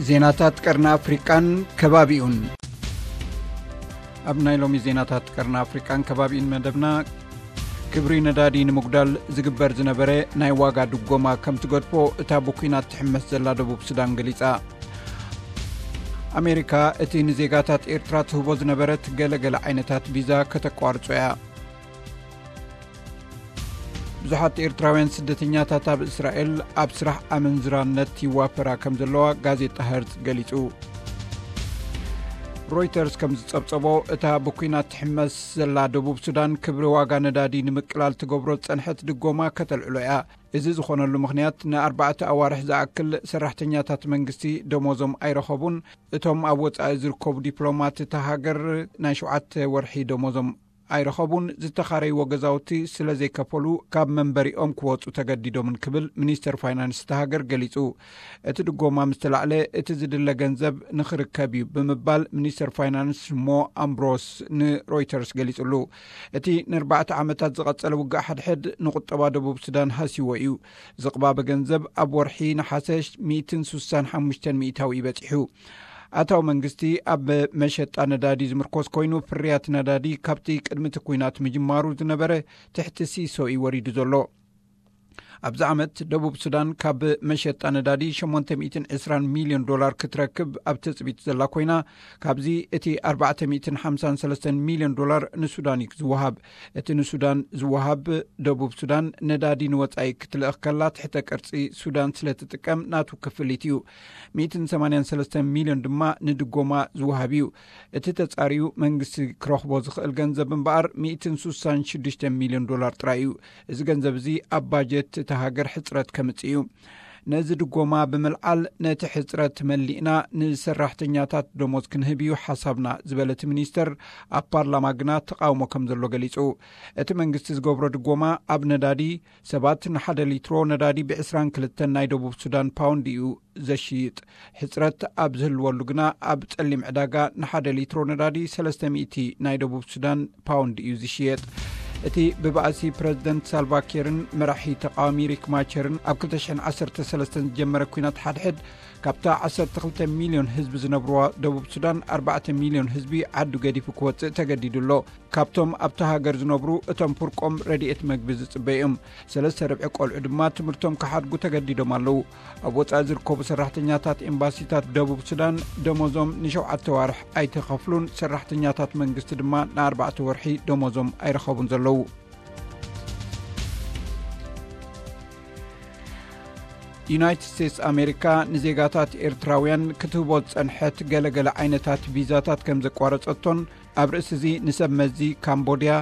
ዜናታት ቀርኒ ኣፍሪቃን ከባቢኡን። ኣብ ናይ ሎሚ ዜናታት ቀርኒ ኣፍሪቃን ከባቢኡን መደብና፣ ክብሪ ነዳዲ ንምጉዳል ዝግበር ዝነበረ ናይ ዋጋ ድጎማ ከም ትገድፎ እታ ብኲናት ትሕመስ ዘላ ደቡብ ሱዳን ገሊጻ። ኣሜሪካ እቲ ንዜጋታት ኤርትራ ትህቦ ዝነበረት ገለገለ ዓይነታት ቪዛ ከተቋርጾ እያ። ብዙሓት ኤርትራውያን ስደተኛታት ኣብ እስራኤል ኣብ ስራሕ ኣመንዝራነት ይዋፈራ ከም ዘለዋ ጋዜጣ ሀርዝ ገሊጹ። ሮይተርስ ከም ዝጸብጸቦ፣ እታ ብኲናት ትሕመስ ዘላ ደቡብ ሱዳን ክብሪ ዋጋ ነዳዲ ንምቅላል ትገብሮ ዝጸንሐት ድጎማ ከተልዕሎ እያ። እዚ ዝኾነሉ ምኽንያት፣ ንኣርባዕተ ኣዋርሕ ዝኣክል ሰራሕተኛታት መንግስቲ ደሞዞም ኣይረኸቡን። እቶም ኣብ ወጻኢ ዝርከቡ ዲፕሎማት እታ ሃገር ናይ ሸውዓተ ወርሒ ደሞዞም ኣይረኸቡን፣ ዝተኻረይዎ ገዛውቲ ስለ ዘይከፈሉ ካብ መንበሪኦም ክወጹ ተገዲዶምን ክብል ሚኒስተር ፋይናንስ እታ ሃገር ገሊጹ። እቲ ድጎማ ምስ ተላዕለ፣ እቲ ዝድለ ገንዘብ ንኽርከብ እዩ ብምባል ሚኒስተር ፋይናንስ ሞ ኣምብሮስ ንሮይተርስ ገሊጹሉ። እቲ ንኣርባዕተ ዓመታት ዝቐጸለ ውግእ ሓድሕድ ንቁጠባ ደቡብ ሱዳን ሃስይዎ እዩ። ዝቕባበ ገንዘብ ኣብ ወርሒ ነሓሰ ሚእትን ሱሳን ሓሙሽተን ሚእታዊ በጺሑ። ኣታዊ መንግስቲ ኣብ መሸጣ ነዳዲ ዝምርኮስ ኮይኑ፣ ፍርያት ነዳዲ ካብቲ ቅድሚ እቲ ኲናት ምጅማሩ ዝነበረ ትሕቲ ሲሶ እዩ ወሪዱ ዘሎ። ኣብዚ ዓመት ደቡብ ሱዳን ካብ መሸጣ ነዳዲ ሸሞንተ ሚእትን ዕስራን ሚልዮን ዶላር ክትረክብ ኣብ ትጽቢት ዘላ ኮይና፣ ካብዚ እቲ ኣርባዕተ ሚእትን ሓምሳን ሰለስተን ሚልዮን ዶላር ንሱዳን እዩ ዝወሃብ። እቲ ንሱዳን ዝወሃብ፣ ደቡብ ሱዳን ነዳዲ ንወጻኢ ክትልእኽ ከላ፣ ትሕተ ቅርጺ ሱዳን ስለ ትጥቀም ናቱ ክፍሊት እዩ። ሚእትን ሰማንያን ሰለስተን ሚልዮን ድማ ንድጎማ ዝወሃብ እዩ። እቲ ተጻርዩ መንግስቲ ክረኽቦ ዝኽእል ገንዘብ እምበኣር፣ ሚእትን ሱሳን ሽዱሽተ ሚልዮን ዶላር ጥራይ እዩ። እዚ ገንዘብ እዚ ኣብ ባጀት እታ ሃገር ሕጽረት ከምጽእ እዩ። ነዚ ድጎማ ብምልዓል፣ ነቲ ሕጽረት መሊእና ንሰራሕተኛታት ደሞዝ ክንህብ እዩ ሓሳብና ዝበለ እቲ ሚኒስተር፣ ኣብ ፓርላማ ግና ተቓውሞ ከም ዘሎ ገሊጹ። እቲ መንግስቲ ዝገብሮ ድጎማ ኣብ ነዳዲ፣ ሰባት ንሓደ ሊትሮ ነዳዲ ብዕስራን ክልተን ናይ ደቡብ ሱዳን ፓውንድ እዩ ዘሽይጥ። ሕጽረት ኣብ ዝህልወሉ ግና፣ ኣብ ጸሊም ዕዳጋ ንሓደ ሊትሮ ነዳዲ ሰለስተ ሚእቲ ናይ ደቡብ ሱዳን ፓውንድ እዩ ዝሽየጥ። እቲ ብባእሲ ፕረዚደንት ሳልቫ ኪርን መራሒ ተቃዋሚ ሪክ ማቸርን ኣብ ክልተ ሽሕን ዓሰርተ ሰለስተን ዝጀመረ ኲናት ሓድሕድ፣ ካብታ ዓሰርተ ክልተ ሚልዮን ህዝቢ ዝነብርዋ ደቡብ ሱዳን፣ ኣርባዕተ ሚልዮን ህዝቢ ዓዱ ገዲፉ ክወጽእ ተገዲዱ ኣሎ። ካብቶም ኣብታ ሃገር ዝነብሩ፣ እቶም ፍርቆም ረድኤት መግቢ ዝጽበዩ እዮም። ሰለስተ ርብዒ ቆልዑ ድማ ትምህርቶም ክሓድጉ ተገዲዶም ኣለዉ። ኣብ ወጻኢ ዝርከቡ ሰራሕተኛታት ኤምባሲታት ደቡብ ሱዳን ደሞዞም ንሸውዓተ ዋርሕ ኣይተኸፍሉን፣ ሰራሕተኛታት መንግስቲ ድማ ንኣርባዕተ ወርሒ ደሞዞም ኣይረኸቡን ዘለዉ። ዩናይትድ ስቴትስ ኣሜሪካ ንዜጋታት ኤርትራውያን ክትህቦ ዝጸንሐት ገለገለ ዓይነታት ቪዛታት ከም ዘቋረጸቶን፣ ኣብ ርእሲ እዚ ንሰብ መዚ ካምቦድያ፣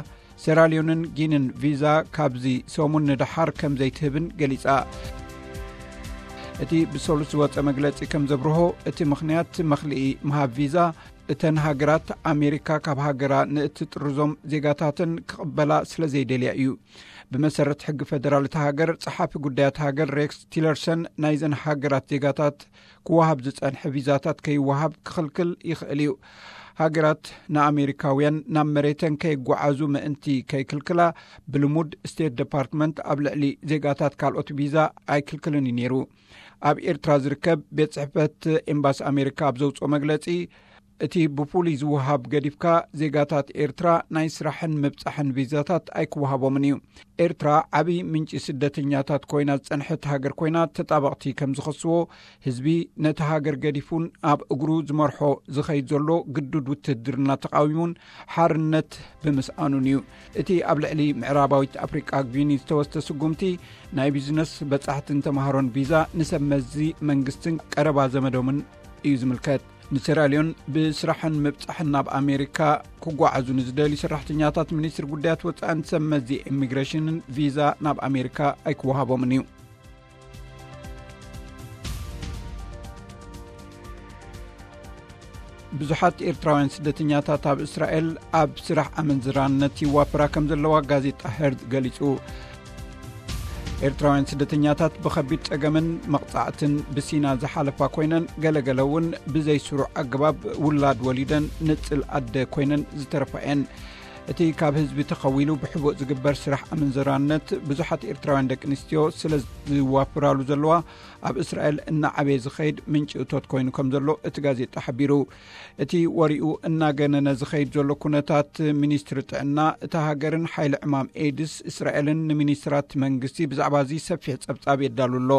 ሴራልዮንን ጊንን ቪዛ ካብዚ ሰሙን ንደሓር ከም ዘይትህብን ገሊጻ። እቲ ብሰሉስ ዝወጸ መግለጺ ከም ዘብርሆ፣ እቲ ምኽንያት መኽልኢ ምሃብ ቪዛ፣ እተን ሃገራት ኣሜሪካ ካብ ሃገራ ንእትጥርዞም ዜጋታተን ክቕበላ ስለ ዘይደልያ እዩ። ብመሰረት ሕጊ ፈደራል እታ ሃገር፣ ጸሓፊ ጉዳያት ሃገር ሬክስ ቲለርሰን፣ ናይዘን ሃገራት ዜጋታት ክወሃብ ዝጸንሐ ቪዛታት ከይወሃብ ክኽልክል ይኽእል እዩ። ሃገራት ንኣሜሪካውያን ናብ መሬተን ከይጓዓዙ ምእንቲ ከይክልክላ፣ ብልሙድ ስቴት ዲፓርትመንት ኣብ ልዕሊ ዜጋታት ካልኦት ቪዛ ኣይክልክልን እዩ ነይሩ። ኣብ ኤርትራ ዝርከብ ቤት ጽሕፈት ኤምባሲ ኣሜሪካ ኣብ ዘውጽኦ መግለጺ፣ እቲ ብፍሉይ ዝወሃብ ገዲፍካ፣ ዜጋታት ኤርትራ ናይ ስራሕን ምብጻሕን ቪዛታት ኣይክወሃቦምን እዩ። ኤርትራ ዓቢ ምንጪ ስደተኛታት ኮይና ዝጸንሐት ሃገር ኮይና፣ ተጣበቕቲ ከም ዝኸስዎ፣ ህዝቢ ነቲ ሃገር ገዲፉን ኣብ እግሩ ዝመርሖ ዝኸይድ ዘሎ ግዱድ ውትድርና ተቓዊሙን ሓርነት ብምስኣኑን እዩ። እቲ ኣብ ልዕሊ ምዕራባዊት ኣፍሪቃ ጊኒ ዝተወስደ ስጉምቲ፣ ናይ ቢዝነስ በጻሕትን ተማሃሮን ቪዛ ንሰብ መዚ መንግስትን ቀረባ ዘመዶምን እዩ ዝምልከት። ንሴራልዮን ብስራሕን ምብጻሕን ናብ ኣሜሪካ ክጓዓዙ ንዝደልዩ ሰራሕተኛታት ሚኒስትሪ ጉዳያት ወጻእን ሰብ መዚ ኢሚግሬሽንን ቪዛ ናብ ኣሜሪካ ኣይክወሃቦምን እዩ። ብዙሓት ኤርትራውያን ስደተኛታት ኣብ እስራኤል ኣብ ስራሕ ኣመንዝራነት ይዋፈራ ከም ዘለዋ ጋዜጣ ሄርዝ ገሊጹ። ኤርትራውያን ስደተኛታት ብኸቢድ ጸገምን መቕጻዕትን ብሲና ዝሓለፋ ኮይነን፣ ገለገለ እውን ብዘይስሩዕ ኣገባብ ውላድ ወሊደን ንጽል ኣደ ኮይነን ዝተረፋ እየን። እቲ ካብ ህዝቢ ተኸዊሉ ብሕቡእ ዝግበር ስራሕ ኣመንዝራነት ብዙሓት ኤርትራውያን ደቂ ኣንስትዮ ስለ ዝዋፍራሉ ዘለዋ፣ ኣብ እስራኤል እናዓበየ ዝኸይድ ምንጪ እቶት ኮይኑ ከም ዘሎ እቲ ጋዜጣ ሓቢሩ። እቲ ወሪኡ እናገነነ ዝኸይድ ዘሎ ኩነታት፣ ሚኒስትሪ ጥዕና እታ ሃገርን ሓይሊ ዕማም ኤድስ እስራኤልን ንሚኒስትራት መንግስቲ ብዛዕባ እዚ ሰፊሕ ጸብጻብ የዳሉ ኣሎ።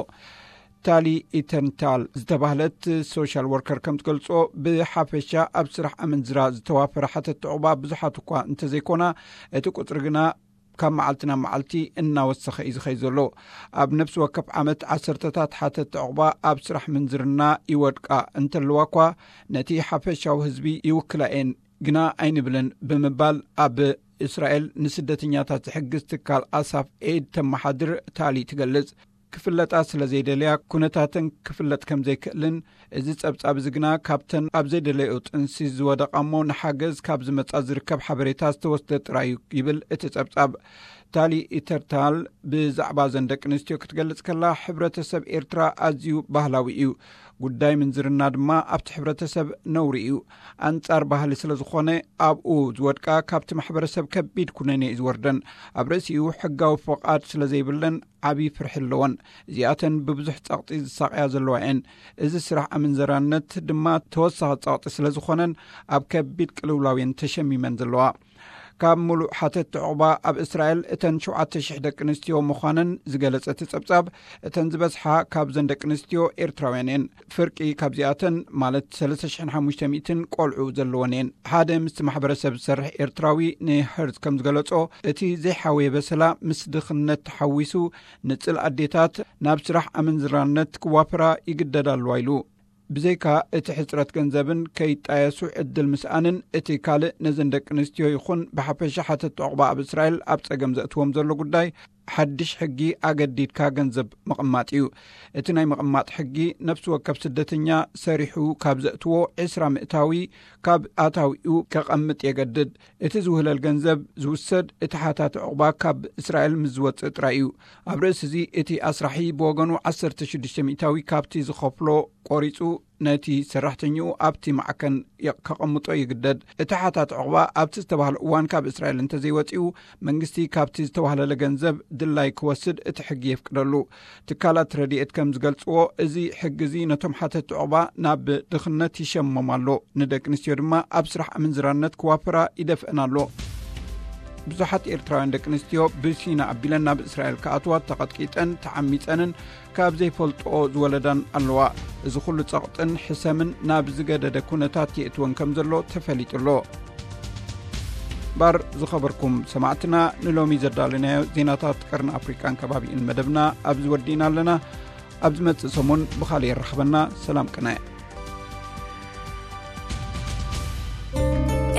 ታሊ ኢተንታል ዝተባህለት ሶሻል ወርከር ከም ትገልጾ፣ ብሓፈሻ ኣብ ስራሕ ኣመንዝራ ዝተዋፈረ ሓተት ዕቑባ ብዙሓት እኳ እንተዘይኮና፣ እቲ ቁጽሪ ግና ካብ መዓልቲ ናብ መዓልቲ እናወሰኸ እዩ ዝኸይ ዘሎ። ኣብ ነፍሲ ወከፍ ዓመት ዓሰርተታት ሓተት ዕቑባ ኣብ ስራሕ ምንዝርና ይወድቃ እንተለዋ እኳ፣ ነቲ ሓፈሻዊ ህዝቢ ይውክላ እየን ግና ኣይንብልን ብምባል ኣብ እስራኤል ንስደተኛታት ዝሕግዝ ትካል ኣሳፍ ኤድ ተመሓድር ታሊ ትገልጽ። ክፍለጣ ስለ ዘይደለያ ኩነታተን ክፍለጥ ከም ዘይክእልን፣ እዚ ጸብጻብ እዚ ግና ካብተን ኣብ ዘይደለዮ ጥንሲ ዝወደቓ እሞ ንሓገዝ ካብ ዝመጻ ዝርከብ ሓበሬታ ዝተወስደ ጥራይ እዩ ይብል እቲ ጸብጻብ። ታሊ ኢተርታል ብዛዕባ ዘን ደቂ ኣንስትዮ ክትገልጽ ከላ፣ ሕብረተሰብ ኤርትራ ኣዝዩ ባህላዊ እዩ። ጉዳይ ምንዝርና ድማ ኣብቲ ሕብረተሰብ ነውሪ እዩ። ኣንጻር ባህሊ ስለ ዝኾነ፣ ኣብኡ ዝወድቃ ካብቲ ማሕበረሰብ ከቢድ ኩነኔ እዩ ዝወርደን። ኣብ ርእሲኡ ሕጋዊ ፍቓድ ስለ ዘይብለን ዓቢ ፍርሒ ኣለወን። እዚኣተን ብብዙሕ ጸቕጢ ዝሳቕያ ዘለዋ እየን። እዚ ስራሕ ኣመንዘራነት ድማ ተወሳኺ ጸቕጢ ስለ ዝኾነን ኣብ ከቢድ ቅልውላው እየን ተሸሚመን ዘለዋ። ካብ ሙሉእ ሓተት ዕቑባ ኣብ እስራኤል እተን ሸውዓተ ሽሕ ደቂ ኣንስትዮ ምዃነን ዝገለጸ እቲ ጸብጻብ፣ እተን ዝበዝሓ ካብዘን ደቂ ኣንስትዮ ኤርትራውያን እየን። ፍርቂ ካብዚኣተን፣ ማለት ሰለስተ ሽሕን ሓሙሽተ ሚእትን ቆልዑ ዘለወን እየን። ሓደ ምስቲ ማሕበረሰብ ዝሰርሕ ኤርትራዊ ንሄርዝ ከም ዝገለጾ፣ እቲ ዘይሓወየ በሰላ ምስ ድኽነት ተሓዊሱ፣ ንጽል ኣዴታት ናብ ስራሕ ኣመንዝራነት ክዋፍራ ይግደዳ ኣለዋ ኢሉ። ብዘይካ እቲ ሕጽረት ገንዘብን ከይጣየሱ ዕድል ምስኣንን፣ እቲ ካልእ ነዘን ደቂ ኣንስትዮ ይኹን ብሓፈሻ ሓተት ዕቑባ ኣብ እስራኤል ኣብ ጸገም ዘእትዎም ዘሎ ጉዳይ፣ ሓድሽ ሕጊ ኣገዲድካ ገንዘብ ምቕማጥ እዩ። እቲ ናይ ምቕማጥ ሕጊ፣ ነፍሲ ወከፍ ስደተኛ ሰሪሑ ካብ ዘእትዎ ዕስራ ምእታዊ ካብ ኣታዊኡ ከቐምጥ የገድድ። እቲ ዝውህለል ገንዘብ ዝውሰድ፣ እቲ ሓታቲ ዕቑባ ካብ እስራኤል ምስ ዝወጽእ ጥራይ እዩ። ኣብ ርእሲ እዚ፣ እቲ ኣስራሒ ብወገኑ ዓሰርተ ሽዱሽተ ሚእታዊ ካብቲ ዝኸፍሎ ቆሪጹ፣ ነቲ ሰራሕተኛኡ ኣብቲ ማዕከን የ-፣ ከቐምጦ ይግደድ። እቲ ሓታቲ ዕቑባ ኣብቲ ዝተባህለ እዋን ካብ እስራኤል እንተዘይወጺኡ፣ መንግስቲ ካብቲ ዝተዋህለለ ገንዘብ ድላይ ክወስድ እቲ ሕጊ የፍቅደሉ። ትካላት ረድኤት ከም ዝገልጽዎ፣ እዚ ሕጊ እዚ ነቶም ሓተቲ ዕቑባ ናብ ድኽነት ይሸሞም ኣሎ፣ ንደቂ ኣንስትዮ ድማ ኣብ ስራሕ ኣመንዝራነት ክዋፍራ ይደፍአን ኣሎ። ብዙሓት ኤርትራውያን ደቂ ኣንስትዮ ብሲና ኣቢለን ናብ እስራኤል ክኣትዋ ተቐጥቂጠን፣ ተዓሚጸንን ካብ ዘይፈልጥኦ ዝወለዳን ኣለዋ። እዚ ኩሉ ጸቕጥን ሕሰምን ናብ ዝገደደ ኩነታት የእትወን ከም ዘሎ ተፈሊጡ ኣሎ። ባር ዝኸበርኩም ሰማዕትና፣ ንሎሚ ዘዳለናዮ ዜናታት ቀርኒ ኣፍሪቃን ከባቢኡን መደብና ኣብዚ ወዲእና ኣለና። ኣብ ዝመጽእ ሰሙን ብኻልእ የራኽበና። ሰላም ቅነ።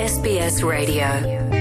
S B S Radio.